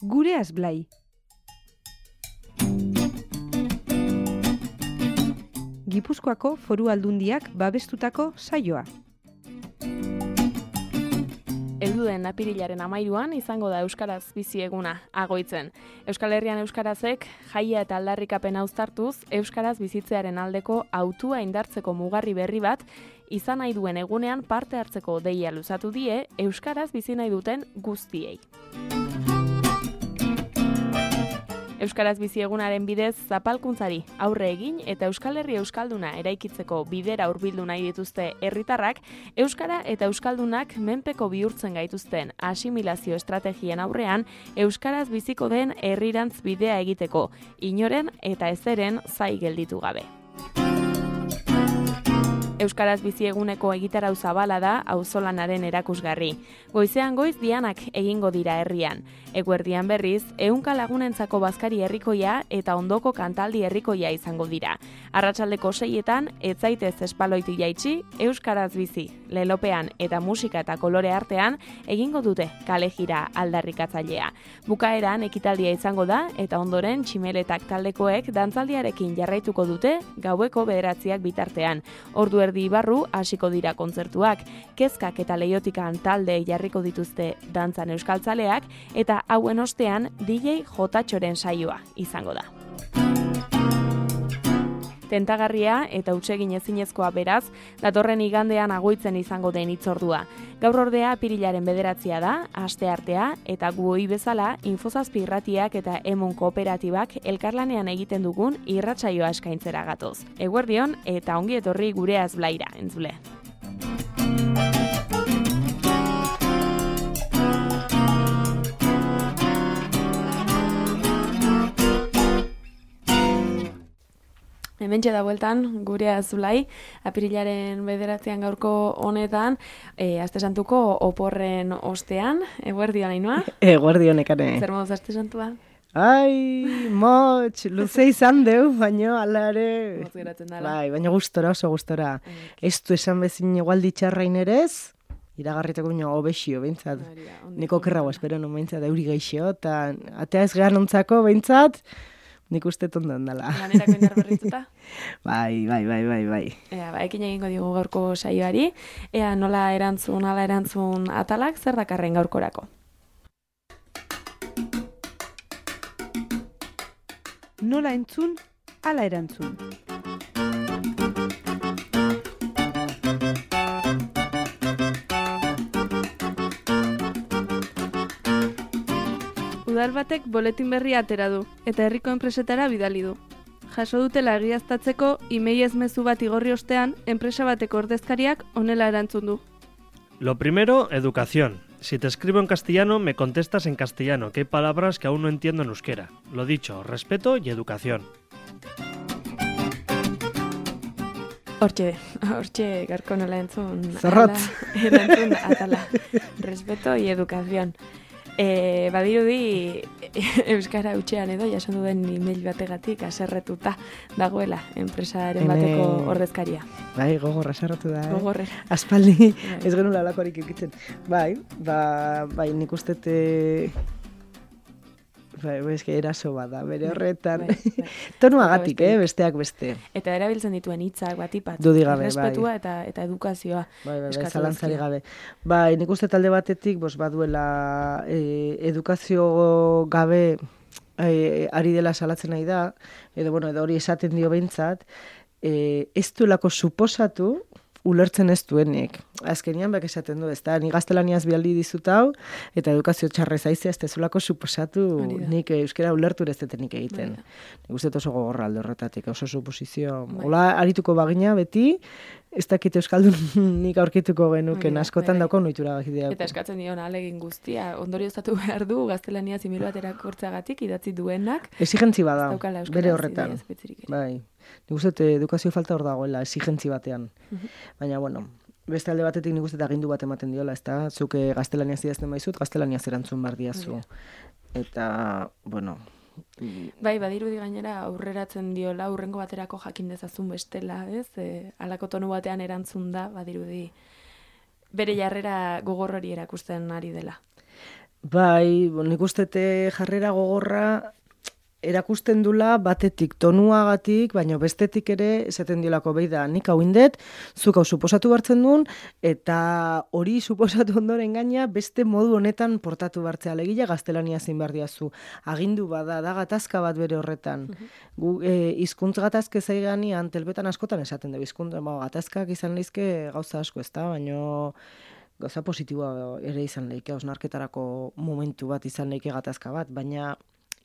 Gureaz Blai. Gipuzkoako Foru Aldundiak babestutako saioa. Heldu den apirilaren 13an izango da Euskaraz bizi eguna, Agoitzen. Euskal Herrian euskarazek jaia eta aldarrikapena uztartuz, euskaraz bizitzearen aldeko hautua indartzeko mugarri berri bat izan nahi duen egunean parte hartzeko deia luzatu die euskaraz bizi nahi duten guztiei. Euskaraz bizi egunaren bidez zapalkuntzari aurre egin eta Euskal Herri euskalduna eraikitzeko bidera hurbildu nahi dituzte herritarrak, euskara eta euskaldunak menpeko bihurtzen gaituzten asimilazio estrategien aurrean euskaraz biziko den herrirantz bidea egiteko, inoren eta ezeren zai gelditu gabe. Euskaraz bizi eguneko egitarau zabala da auzolanaren erakusgarri. Goizean goiz dianak egingo dira herrian. Eguerdian berriz, 100 lagunentzako bazkari herrikoia eta ondoko kantaldi herrikoia izango dira. Arratsaldeko 6etan, ez zaitez espaloitik jaitsi, euskaraz bizi, lelopean eta musika eta kolore artean egingo dute kale jira aldarrikatzailea. Bukaeran ekitaldia izango da eta ondoren tximeletak taldekoek dantzaldiarekin jarraituko dute gaueko 9 bitartean. Ordu erdi barru hasiko dira kontzertuak, kezkak eta leiotikan talde jarriko dituzte dantzan euskaltzaleak eta hauen ostean DJ Jotatxoren saioa izango da. Tentagarria eta hutsegin ezinezkoa beraz, datorren igandean Agoitzen izango den hitzordua. Gaur ordea apirilaren 9 da, asteartea eta gu ohi bezala Infozazpi irratiak eta Emun kooperatibak elkarlanean egiten dugun irratsaioa eskaintzera gatoz. Eguerdion eta ongi etorri Gureaz Blaira, entzule. Hementxe da bueltan, Gureaz Blai, apirilaren 9 gaurko honetan, aste santuko oporren ostean, eguerdion Ainhoa? Eguerdion ekane. Zer moduz aste santua? Ai, motx, luze izan deu, baina alare... Motz geratzen dala. Bai, baina gustora, oso gustora. Ez du esan bezin igualdi txarrain erez, iragarritako bino obexio, behintzat. Niko kerrago espero non behintzat, euri geixio, eta atea ez gehan ontzako, behintzat, nik uste tondan dela. Lanerako indar berrituta? Bai. Ea, ekin egingo digu gaurko saioari. Ea, nola erantzun atalak, zer dakarren gaurkorako? Nola entzun, ala erantzun. Udal batek boletin berria atera du, eta herriko enpresetara bidali du. Jaso dutela egiaztatzeko emailez mezu bat igorri ostean, enpresa bateko ordezkariak honela erantzun du. Lo primero, educación. Si te escribo en castellano, me contestas en castellano, que hay palabras que aún no entiendo en euskera. Lo dicho, respeto y educación. Hortxe garko nola entzun. Zorrotz. Erantzun atala. Respeto y educación. Badirudi euskara hutsean edo jasan duen email bategatik aserretuta dagoela enpresaren bateko ordezkaria. Bai, gogorra sarratu da. Gogorre. Aspaldi ez genula alakorik ikitzen. Bai, nik ustete... Bai, eraso bada, bere horretan. Bai. Tonuagatik, besteak beste. Eta erabiltzen dituen hitzak batipat. Dudigabe, Respetua eta edukazioa. Bai, zalantzari gabe. Bai, nik uste talde batetik, baduela edukazio gabe ari dela salatzen nahi da, edo hori esaten dio behintzat, ez duelako suposatu, ulertzen ez duenik. Azkenian bak esaten du, ezta, ni gaztelaniaz bialdi dizut hau, eta edukazio txarrez aizea, ez dezulako suposatu nik euskera ulertu ez detenik egiten. Nik uste oso gogorra alde horretatik, oso suposizio. Hola, arituko bagina beti, ez dakit euskaldunik aurkituko genuken, askotan dauko noitura gakideako. Eta eskatzen dion ahalegin guztia, ondorioztatu behar du, gaztelania zimil baterak hortzagatik idatzi duenak. Exigentzi bada, bere horretan. Bai. Nik uste edukazio falta hor dagoela, exigentzi batean. Baina, beste alde batetik nik uste agindu bat ematen diola, ez da? Zuk gaztelaniaz idazten baizut, gaztelaniaz erantzun bar diazu. Eta, Bai, badirudi gainera aurreratzen diola, aurrengo baterako jakin dezazun bestela, ez? Halako tonu batean erantzun da, badirudi bere jarrera gogor hori erakusten ari dela. Bai, nik ustete jarrera gogorra erakusten dula batetik tonuagatik, baina bestetik ere esaten diolako behi da, nik hau indet, zuk hau suposatu hartzen duen, eta hori suposatu ondoren gaina beste modu honetan portatu bartzea alegia gaztelania zein behar diazu. Agindu bada, da gatazka bat bere horretan. Gu hizkuntz gatazke zaiganean, telbetan askotan esaten dugu, gatazkak izan lehizke gauza asko ez da, baina gauza positiboa ere izan lehike, hausnarketarako momentu bat izan lehike gatazka bat, baina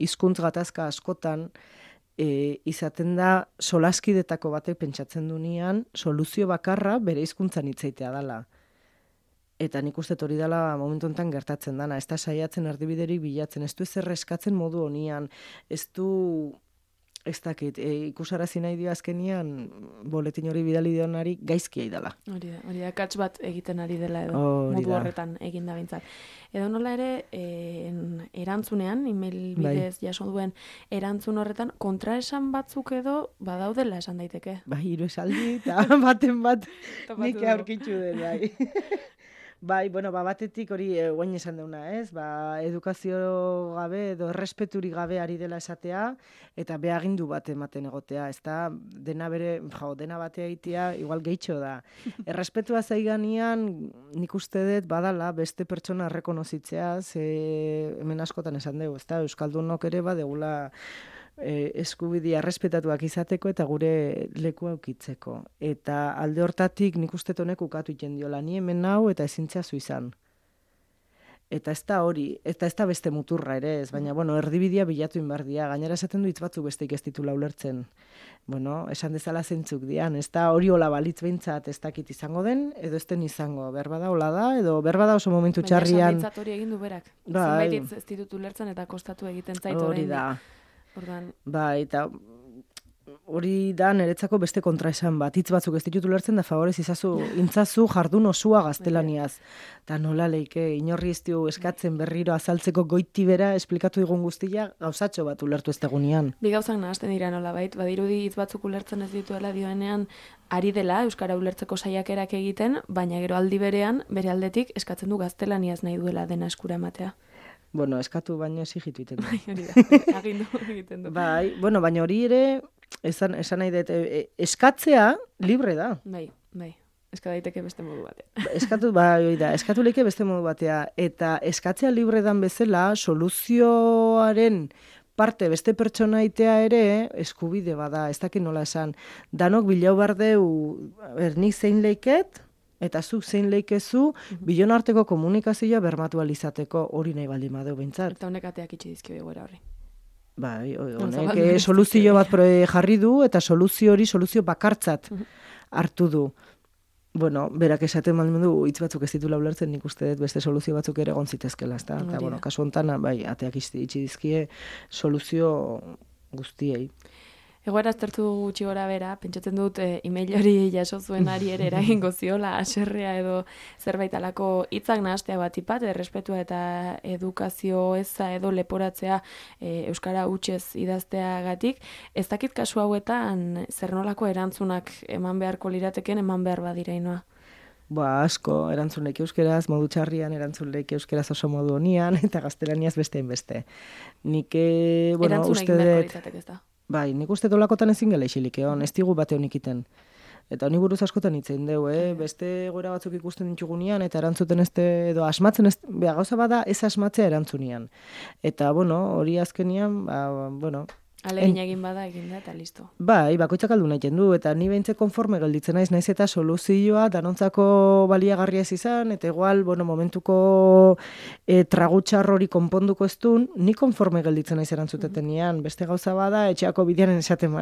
hizkuntz gatazka askotan izaten da solaskidetako batek pentsatzen dunean soluzio bakarra bere hizkuntzan hitzaitea dela. Eta nik uste hori dela momentu honetan gertatzen dana. Ez da saiatzen erdibiderik bilatzen, ez du ezer eskatzen modu honian, ez du, ez dakit, ikusarazi nahi dio azkenian boletin hori bidali dionari gaizkia idala. Hori da, kats bat egiten ari dela edo, modu horretan egin da bintzat. Edo nola ere, erantzunean, email bidez jaso duen erantzun horretan, kontraesan batzuk edo badaudela esan daiteke. Bai, hiru esaldi, eta baten bat nik aurkitzu den, bai. Bai, bueno, batetik hori guain esan deuna, ez? Edukazio gabe edo errespeturik gabe ari dela esatea, eta behagindu bat ematen egotea, ez da, dena batea egitea, igual gehitxo da. Errespetua zaiganean, nik uste dut, badala, beste pertsona errekonozitzea, hemen askotan esan dugu, ez da, Euskaldunok ere badegula eskubidea errespetatuak izateko eta gure lekua ukitzeko. Eta alde hortatik nik uste honek ukatu iten diola, ni hemen nau eta ezintza zu izan. Eta ez da hori, eta ez da beste muturra ere ez, baina bueno, erdibidea bilatu inbardia, gainera esaten du hitz batzuk besteik ez ditula ulertzen. Bueno, esan dezala zeintzuk dian, ez da hori hola balitz behintzat ez dakit izango den, edo ez den izango, berbada hola da, edo berbada oso momentu txarrian. Baina esan hori egin du berak, zenbait ez ditut ulertzen eta kostatu egiten zaitu hori da. Ordan. Bai, eta hori da niretzako beste kontraesan bat. Hitz batzuk ez ditut ulertzen da favorez intzazu jardun osua gaztelaniaz. Eta nola leike, inorri ez dio eskatzen berriro azaltzeko goiti bera esplikatu digun guztia gauzatxo bat ulertu ez tegunean. Bi gauzak nahazten dira nola bait, badirudi hitz batzuk ulertzen ez dituela dioenean ari dela Euskara ulertzeko saiakerak egiten, baina gero aldi berean, bere aldetik eskatzen du gaztelaniaz nahi duela dena eskura ematea. Bueno, eskatu baino exigitu egiten du. Bai, hori da, agindu egiten du. Bai, bueno, baina hori ere, esan nahi dut, eskatzea libre da. Bai, eska daiteke beste modu batea. Eskatu leike beste modu batea. Eta eskatzea libre dan bezala, soluzioaren parte beste pertsona itea ere eskubide bada, ez dakit nola esan. Danok bilau bardeu, nik zein leiket, eta zuk zein leikezu, bilon arteko komunikazioa bermatu alizateko hori nahi baldin badeu behintzat. Eta honek ateak itxi dizkio egoera horri. Bai, honek soluzio bat jarri du, eta soluzio bakartzat hartu du. Bueno, berak esaten baldin du, hitz batzuk ez ditula ulertzen, nik uste dut beste soluzio batzuk ere egon zitezkela, ezta? Eta, bueno, kasu honetan, bai, ateak itxi dizkie soluzio guztiei. Egoera aztertu gutxi gora bera, pentsatzen dut email hori jaso zuenari ere eragingo ziola, aserrea edo zerbait alako hitzak nahastea bat ipat, errespetua eta edukazio eza edo leporatzea Euskara hutsez idazteagatik. Ez dakit kasu hauetan zer nolako erantzunak eman beharko lirateken eman behar badireinoa. Asko, erantzun leike euskeraz, modu txarrian, erantzun leike euskeraz oso modu honian, eta gaztelaniaz beste beste. Nik, bueno, uste dut... Bai, nik uste dolakotan ezin gela isilik egon, ez digu bate honik iten. Eta honi buruz askotan itzen deu, beste egoera batzuk ikusten ditugunean, eta erantzuten edo asmatzen, gauza bada ez asmatzea erantzunian. Eta, bueno, hori azkenian, bueno... Alegin egin bada egin da eta listo. Bai, bakoitzak aldu nahi du, eta ni behintzen konforme gelditzen naiz eta soluzioa danontzako baliagarria ez izan, eta igual, bueno, momentuko tragutxar hori konponduko ez duen, ni konforme gelditzen naiz erantzutetenean. Beste gauza bada, etxeako bidean esaten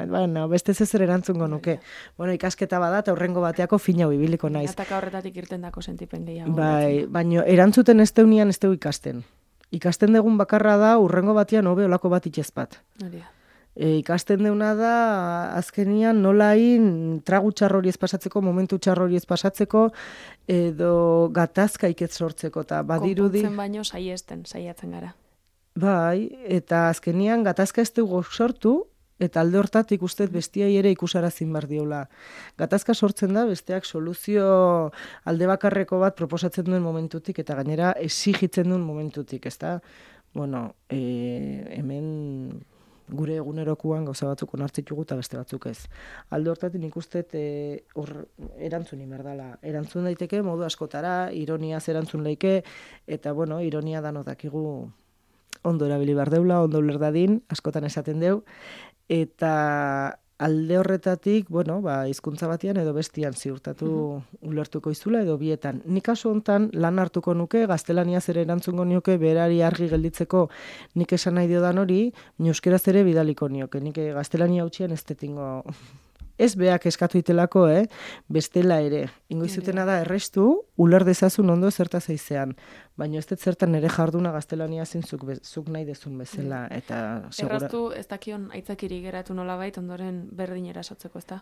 beste zezer erantzungo nuke. Bueno, ikasketa bada, eta horrengo bateako fina bibiliko naiz. Ataka horretatik irten dako sentipen gehiago. Bai, baina erantzuten ez deunian ez deu ikasten. Ikasten degun bakarra da, urrengo batean hobe olako bat itxezpat. Hori da. Ikasten deuna da, azkenian nolain tragu txarrori ez pasatzeko, momentu txarrori ez pasatzeko, edo gatazka iket sortzeko, eta badirudi... Konpontzen baino saiatzen gara. Bai, eta azkenian gatazka ez dugu sortu, Eta alde hortatik ustez bestiai ere ikusarazin behar diola. Gatazka sortzen da, besteak soluzio alde bakarreko bat proposatzen duen momentutik, eta gainera exigitzen duen momentutik, ezta? Bueno, hemen gure egunerokuan gauza batzuk onartzitugu eta beste batzuk ez. Alde hortatik nik uste erantzun inberdala. Erantzun daiteke modu askotara, ironiaz erantzun leike, eta bueno, ironia dano dakigu ondo erabili behar deula, ondo uler dadin, askotan esaten deu, eta alde horretatik, bueno, hizkuntza batean edo bestian ziurtatu ulertuko izula edo bietan. Nik kasu hontan lan hartuko nuke, gaztelaniaz ere erantzungo nioke, berari argi gelditzeko nik esan nahi diodan hori, euskeraz ere bidaliko nioke. Nik gaztelania hutxian ez detingo... Ez beak eskatu itelako, bestela ere. Ingoizutena da errestu, uler dezazun ondo zerta zeizean. Baina ez dut zertan ere jarduna gaztelania zintzuk zuk nahi dezun bezala. Eta erraztu ez dakion aitzakiri geratu nolabait ondoren berdin erasotzeko, ez da?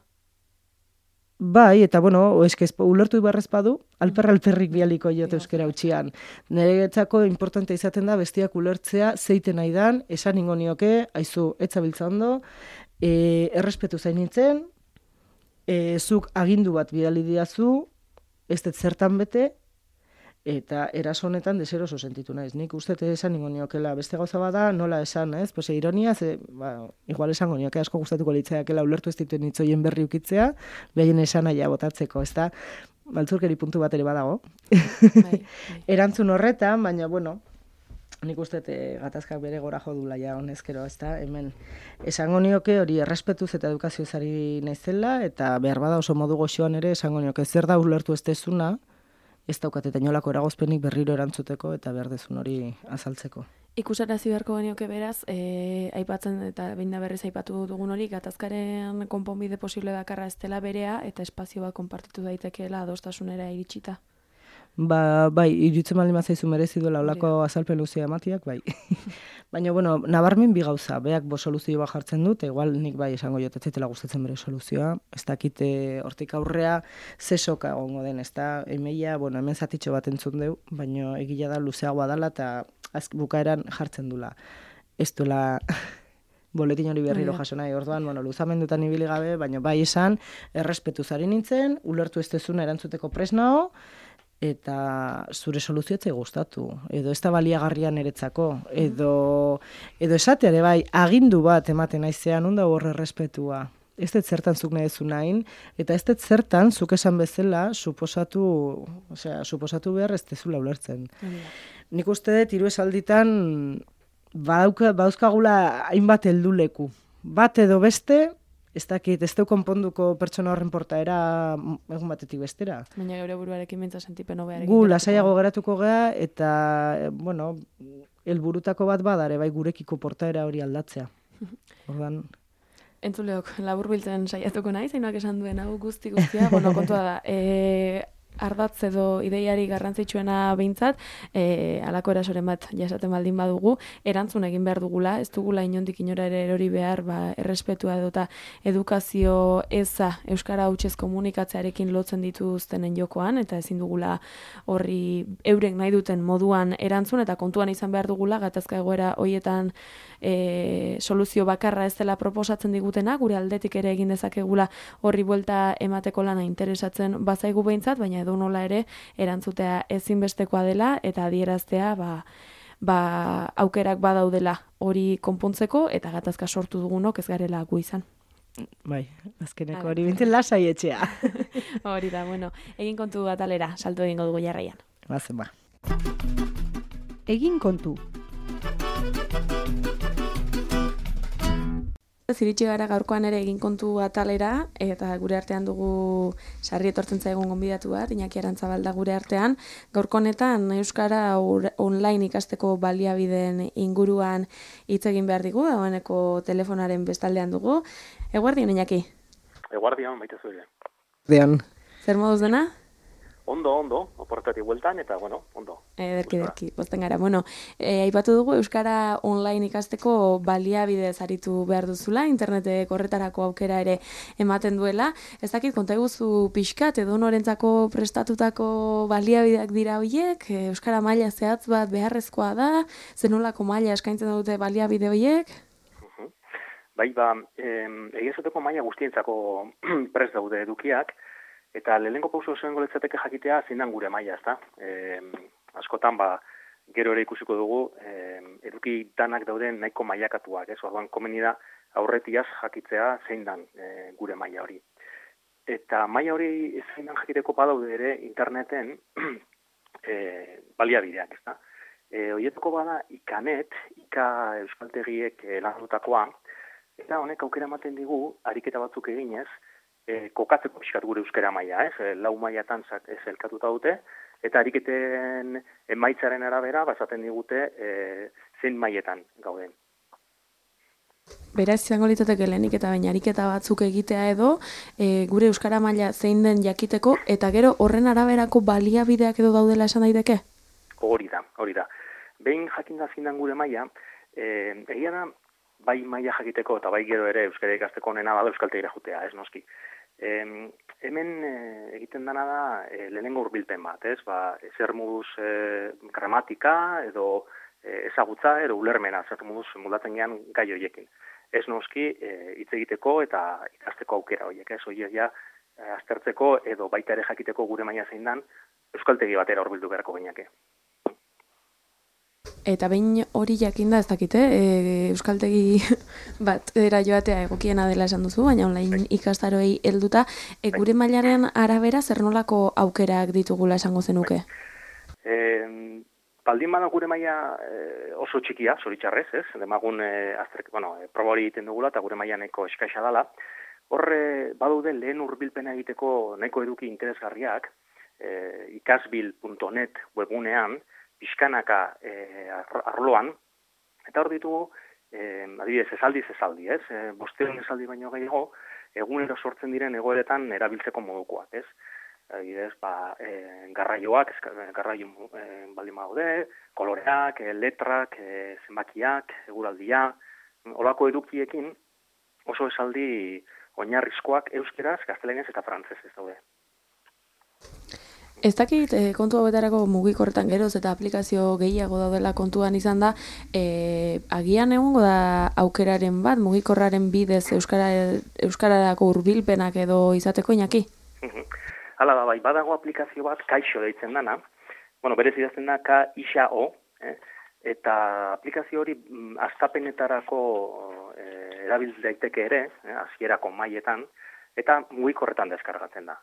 Bai, eta bueno, ulertu ibarrez badu, alperrik bialiko jote euskera utxian. Niretzako importante izaten da bestiak ulertzea zeiten nahi dan, esan ingo nioke, aizu, etzabiltza ondo, errespetu zain nintzen, zuk agindu bat bidali diazu, ez dut zertan bete, eta eraso honetan deseroso sentitu naiz. Nik uste esan ningo niokela, beste gauza bada, nola esan, ez? Pues ironia, igual esango nioke asko gustatuko litzaidakela ulertu ez dituen hitzoien berri ukitzea, behaien esan aia botatzeko, ez da? Baltzurkeri puntu bat ere badago. Bai. Erantzun horretan, baina, bueno, nik uste gatazkak bere gora jodula ja honezkero, ez da? Hemen esango nioke hori errespetuz eta edukazioz ari naizela, eta behar bada oso modu goxoan ere esango nioke zer da ulertu ez dezuna, ez daukat eta inolako eragozpenik berriro erantzuteko eta behar dezun hori azaltzeko. Ikusarazi beharko genioke beraz, aipatzen eta behin da berriz aipatu dugun hori, gatazkaren konponbide posible bakarra ez dela berea eta espazio bat konpartitu daitekeela adostasunera iritsita. Bai, iruditzen baldin bazaizu merezi duela olako azalpen luzea ematiak, bai. Baina, bueno, nabarmen bi gauza, beak soluzio bat jartzen dut, igual nik bai esango jotetzetela gustatzen bere soluzioa, ez dakite hortik aurrea zesoka egongo den, ez da, emeia, bueno, hemen zatitxo bat entzun deu, baina egila da luzeagoa dela eta bukaeran jartzen dula. Ez duela boletin hori berriro jaso nahi, orduan, bueno, luzamendutan ibili gabe, baina bai esan, errespetu zari nintzen, ulertu ez dezuna erantzuteko presnao, eta zure soluzioetzei gustatu, edo ez da baliagarria niretzako, edo esateare bai, agindu bat ematen naizean, onda horre errespetua. Ez dut zertan zuk nahi dezu nahin, eta ez dut zertan zuk esan bezala suposatu behar ez dezula ulertzen. Nik uste dut hiru esalditan bauzkagula hainbat helduleku. Bat edo beste, ez dakit, ez deu konponduko pertsona horren portaera egun batetik bestera. Baina geure buruarekin bintza sentipen hobearekin. Gu lasaiago geratuko gea eta, bueno, helburutako bat badare, bai gurekiko portaera hori aldatzea. Ordan Entzuleok, laburbiltzen saiatuko naiz, zeinak esan duen hau guztia, bueno, kontua da, ardatz edo ideiari garrantzitsuena behintzat, halako erasoren bat jasaten baldin badugu, erantzun egin behar dugula, ez dugula inondik inora ere erori behar, errespetua edota edukazio eza euskara hutsez komunikatzearekin lotzen dituztenen jokoan, eta ezin dugula horri eurek nahi duten moduan erantzun, eta kontuan izan behar dugula, gatazka egoera hoietan soluzio bakarra ez dela proposatzen digutena, gure aldetik ere egin dezakegula horri buelta emateko lana interesatzen bazaigu behintzat, baina edo nola ere erantzutea ezinbestekoa dela eta adieraztea aukerak badaudela hori konpontzeko eta gatazka sortu dugunok ez garela gu izan. Bai, azkeneko hori bintzen lasai etxea. Hori da, bueno, egin kontu atalera, salto egingo dugu jarraian. Bazen ba. Egin kontu. Ziritsi gara gaurkoan ere egin kontu atalera, eta gure artean dugu sarri etortzen zaigun gonbidatu bat, Iñaki Arantzabalda gure artean. Gaurko honetan euskara online ikasteko baliabideen inguruan hitz egin behar digu, dagoeneko telefonaren bestaldean dugu. Eguerdion, Iñaki? Eguerdion, baita zuile. Dean. Zer moduz dena? Ondo, oportatik bueltan, eta, bueno, ondo. Ederki, pozten gara. Bueno, aipatu dugu euskara online ikasteko baliabidez aritu behar duzula, internetek horretarako aukera ere ematen duela. Ez dakit, konta eguzu pixkat, edo norentzako prestatutako baliabideak dira horiek, euskara maila zehatz bat beharrezkoa da, zenolako maila eskaintzen dute baliabide horiek? Bai, egia esateko maila guztientzako prest daude edukiak, eta lehenengo pauso zengo litzateke jakitea zindan gure maila, ezta? Askotan, gero ere ikusiko dugu, eduki danak dauden nahiko mailakatuak, ez? Orduan, komeni da aurretiaz jakitzea zein dan gure maila hori. Eta maila hori zein dan jakiteko badaude ere interneten baliabideak, ezta? Horietako bada ikanet, euskaltegiek landutakoa, eta honek aukera ematen digu, ariketa batzuk eginez, kokatzeko pixkat gure euskara maila, ez? 4 mailatan elkatuta dute, eta ariketen emaitzaren arabera, esaten digute zein mailetan gauden. Beraz, izango litzateke lehenik eta baina ariketa batzuk egitea edo, gure euskara maila zein den jakiteko, eta gero horren araberako baliabideak edo daudela esan daiteke? Hori da. Behin jakinda zindan gure maila, egia da, bai maila jakiteko eta bai gero ere euskara ikasteko onena bada euskaltegira jutea, ez noski. Hemen egiten dena da lehenengo hurbilpen bat, ez? Zer moduz gramatika edo ezagutza edo ulermena, zer moduz moldatzen gean gai horiekin. Ez noski hitz egiteko eta ikasteko aukera horiek, ez? Horiek ja aztertzeko edo baita ere jakiteko gure maila zein dan euskaltegi batera hurbildu beharko gineake. Eta behin hori jakinda ez dakite, euskaltegi bat joatea egokiena dela esan duzu, baina online ikastaroei helduta, gure mailaren arabera zer nolako aukerak ditugula esango zenuke? Baldin bada gure maila oso txikia, zoritxarrez, ez? Demagun proba hori egiten dugula eta gure maila nahiko eskaisa dela. Horre badaude lehen hurbilpena egiteko nahiko eduki interesgarriak, ikasbil.net webgunean, pixkanaka arloan, eta hor ditugu, adibidez, esaldi, ez? 500 esaldi baino gehiago, egunero sortzen diren egoeretan erabiltzeko modukoak, ez? Adibidez, garraioak, garraio baldin badaude, koloreak, letrak, zenbakiak, eguraldia, olako edukiekin oso esaldi oinarrizkoak euskeraz, gaztelaniaz eta frantsesez daude. Ez dakit kontu hauetarako mugikorretan geroz eta aplikazio gehiago daudela kontuan izan da, agian egongo da aukeraren bat, mugikorraren bidez euskararako hurbilpenak edo izateko Iñaki? Hala da, bai, badago aplikazio bat Kaixo deitzen dana, berez idazten da K-I-X-A-O, eta aplikazio hori hastapenetarako erabil daiteke ere, hasierako mailetan, eta mugikorretan deskargatzen da.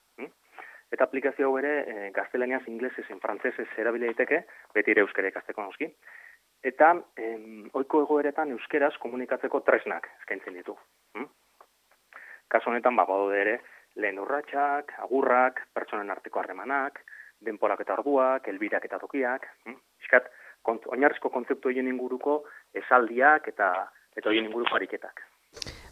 Eta aplikazio hau ere gaztelaniaz, inglesez, frantsesez erabili daiteke, beti ere euskara ikasteko noski. Eta ohiko egoeretan euskeraz komunikatzeko tresnak eskaintzen ditu. Kasu honetan badaude ere lehen urratsak, agurrak, pertsonen arteko harremanak, denporak eta orduak, helbirak eta tokiak, iskat oinarrizko kontzeptu horien inguruko esaldiak eta horien inguruko ariketak.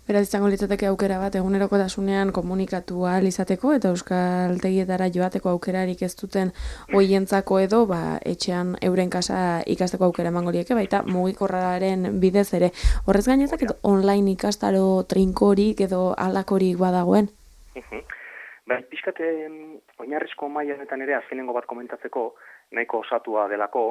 Beraz, izango litzateke aukera bat egunerokotasunean komunikatu ahal izateko eta euskaltegietara joateko aukerarik ez duten hoientzako edo etxean euren kasa ikasteko aukera emango lieke, baita mugikorraren bidez ere. Horrez gainetak online ikastaro trinkorik edo alakorik badagoen? Pixkat oinarrizko maila honetan ere azkenengo bat komentatzeko nahiko osatua delako,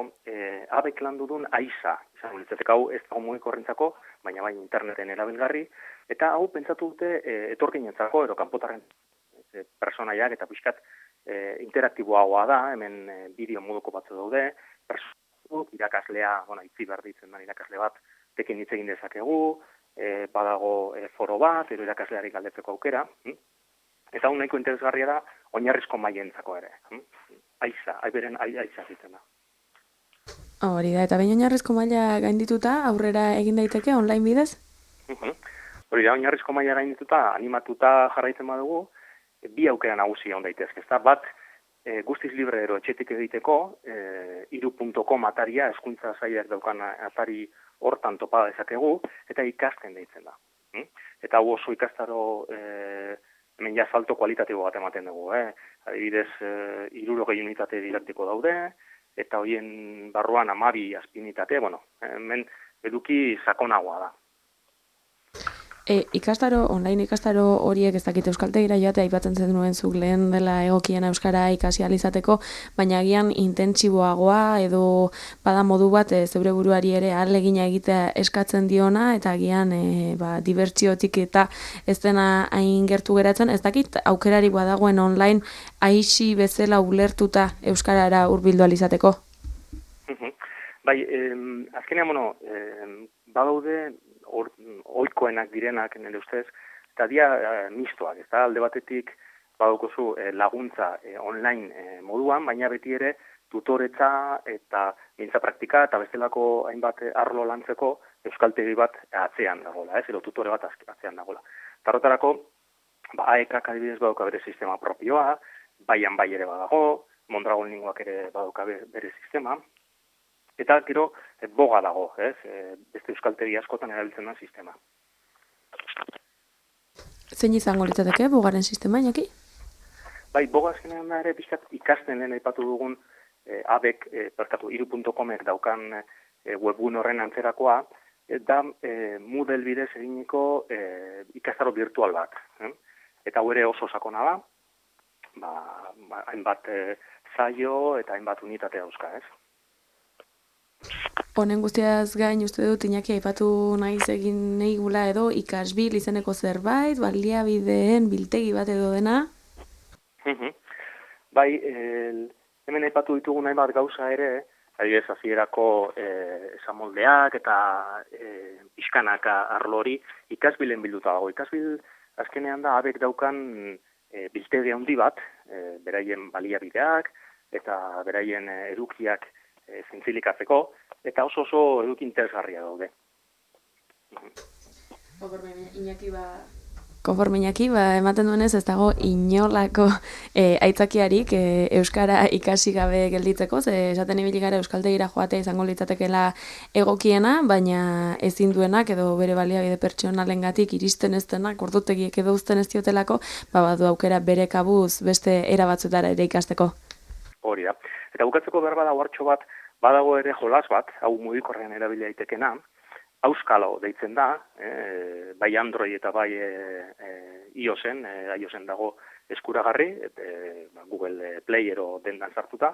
abek landu duen AISA, izango litzateke hau ez dago mugikorrentzako, baina bai interneten erabilgarri, eta hau pentsatu dute etorkinentzako edo kanpotarren personaiak eta pixkat interaktiboagoa da, hemen bideo moduko batzu daude, irakaslea, itzi behar ditzen da irakasle bat, tekin hitz egin dezakegu, badago foro bat, edo irakasleari galdetzeko aukera, eta hau nahiko interesgarria da oinarrizko mailentzako ere. AISA, haiberen AISA zitzen da. Hori da, eta behin oinarrizko maila gaindituta, aurrera egin daiteke online bidez? Hori da, oinarrizko maila gaindituta, animatuta jarraitzen badugu, bi aukera nagusia on daitezke. Bat, guztiz libre ero etxetik egiteko, iru.com ataria, hezkuntza sailak daukan atari hortan topa dezakegu, eta ikasten deitzen da. Eta hau oso ikastaro hemen ja salto kualitatibo bat ematen dugu. Adibidez, 60 unitate didaktiko daude, eta horien barruan 12 azpinitate, hemen eduki sakonagoa da. Online ikastaro horiek ez dakit euskaltegira joate aipatzen zen nuen zuk lehen dela egokiena euskara ikasi ahal izateko, baina agian intentsiboagoa edo bada modu bat zeure buruari ere ahalegina egitea eskatzen diona eta agian dibertsiotik eta ez dena hain gertu geratzen, ez dakit aukerari badagoen online aisi bezala ulertuta euskarara hurbildu ahal izateko. Bai, azkenean, badaude ohikoenak direnak nire ustez, eta dia mistoak, ez da, alde batetik badaukozu laguntza online moduan, baina beti ere tutoretza eta gintza praktika eta bestelako hainbat arlo lantzeko euskaltegi bat atzean dagoela, edo tutore bat atzean dagoela. Tarrotarako, AEKak adibidez badauka bere sistema propioa, baian bai ere badago, Mondragon linguak ere badauka bere sistema, eta gero boga dago, beste euskaltegi askotan erabiltzen da sistema. Zein izango litzateke bogaren sistema, Iñaki? Bai, boga azkenean da ere pixkat ikasten lehen aipatu dugun abek, iru.comek daukan webgun horren antzerakoa, da Moodle bidez eginiko ikastaro virtual bat. Eta hau ere oso sakona da, hainbat zaio eta hainbat unitate dauzka, ez? Honen guztiaz gain uste dut Iñaki aipatu naiz egin nahi gula edo ikasbil izeneko zerbait, baliabideen biltegi bat edo dena? Bai, hemen aipatu ditugu nahi bat gauza ere, adibidez hasierako esamoldeak eta pixkanaka arlo hori ikasbilen bilduta dago. Ikasbil azkenean da abek daukan biltegi handi bat, beraien baliabideak eta beraien edukiak zintzilikatzeko, eta oso eduki interesgarria daude. Konforme Iñaki, ematen duenez ez dago inolako aitzakiarik euskara ikasi gabe gelditzeko, ze esaten ibili gara euskaltegira joatea izango litzatekeela egokiena, baina ezin duenak edo bere baliabide pertsonalengatik iristen ez denak, ordutegiek edo uzten ez diotelako, badu aukera bere kabuz beste era batzutara ere ikasteko. Hori da. Eta bukatzeko behar badago hartxo bat, badago ere jolas bat, hau mugikorrean erabili daitekena, Auskalo deitzen da, bai Android eta bai iOSen, iOSen dago eskuragarri, Google Play ero dendan sartuta,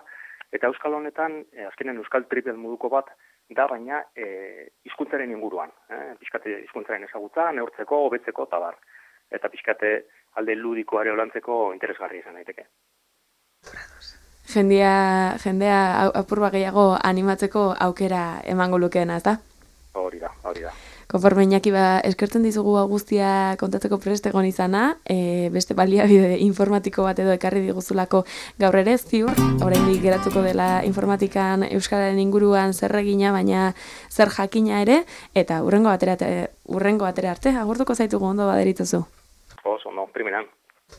eta Auskalo honetan, azkenen Euskal Triple moduko bat, da baina hizkuntzaren inguruan, pixkate hizkuntzaren ezagutza, neurtzeko, hobetzeko, eta bar. Eta pixkate alde ludikoare olantzeko interesgarri izan daiteke. Jendea apurba gehiago animatzeko aukera emango lukeena, ezta? Hori da. Konforme Iñaki eskertzen dizugu guztia kontatzeko prest egon izana, beste baliabide informatiko bat edo ekarri diguzulako gaur ere ziur, oraindik geratuko dela informatikan euskararen inguruan zer egina, baina zer jakina ere, eta hurrengo batera arte, agurtuko zaitugu ondo baderituzu. Oso, no, primeran.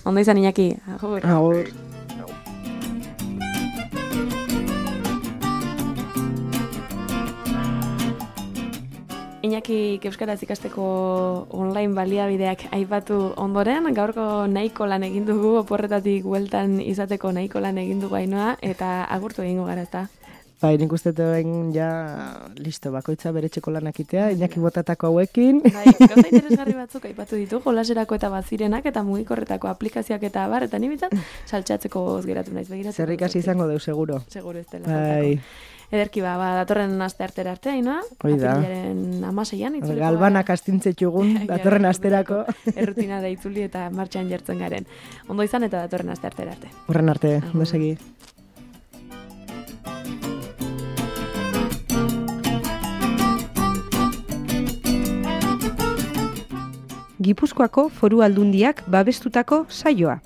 Ondo izan Iñaki, agur. Agur. Iñaki euskaraz ikasteko online baliabideak aipatu ondoren, gaurko nahiko lan egin dugu, oporretatik bueltan izateko nahiko lan egin dugu Ainoa, eta agurtu egingo gara, ezta? Bai, nik uste duen ja listo, bakoitza bere txeko lanak itea, Iñaki botatako hauekin. Bai, gauza interesgarri batzuk aipatu ditu, jolaserako eta bazirenak eta mugikorretako aplikazioak eta abar, eta nibitzat saltxatzeko geratu naiz begiratzeko. Zer ikasi izango deu, seguro. Seguro ez dela faltako. Ederki datorren aste artera arte, Ainoa. Hoi da. Apirilaren 16an itzuliko. Galbanak astintzetxugun, datorren asterako. Errutina da itzuli eta martxan jartzen garen. Ondo izan eta datorren aste artera arte. Horren arte, ondo segi. Gipuzkoako Foru Aldundiak babestutako saioa.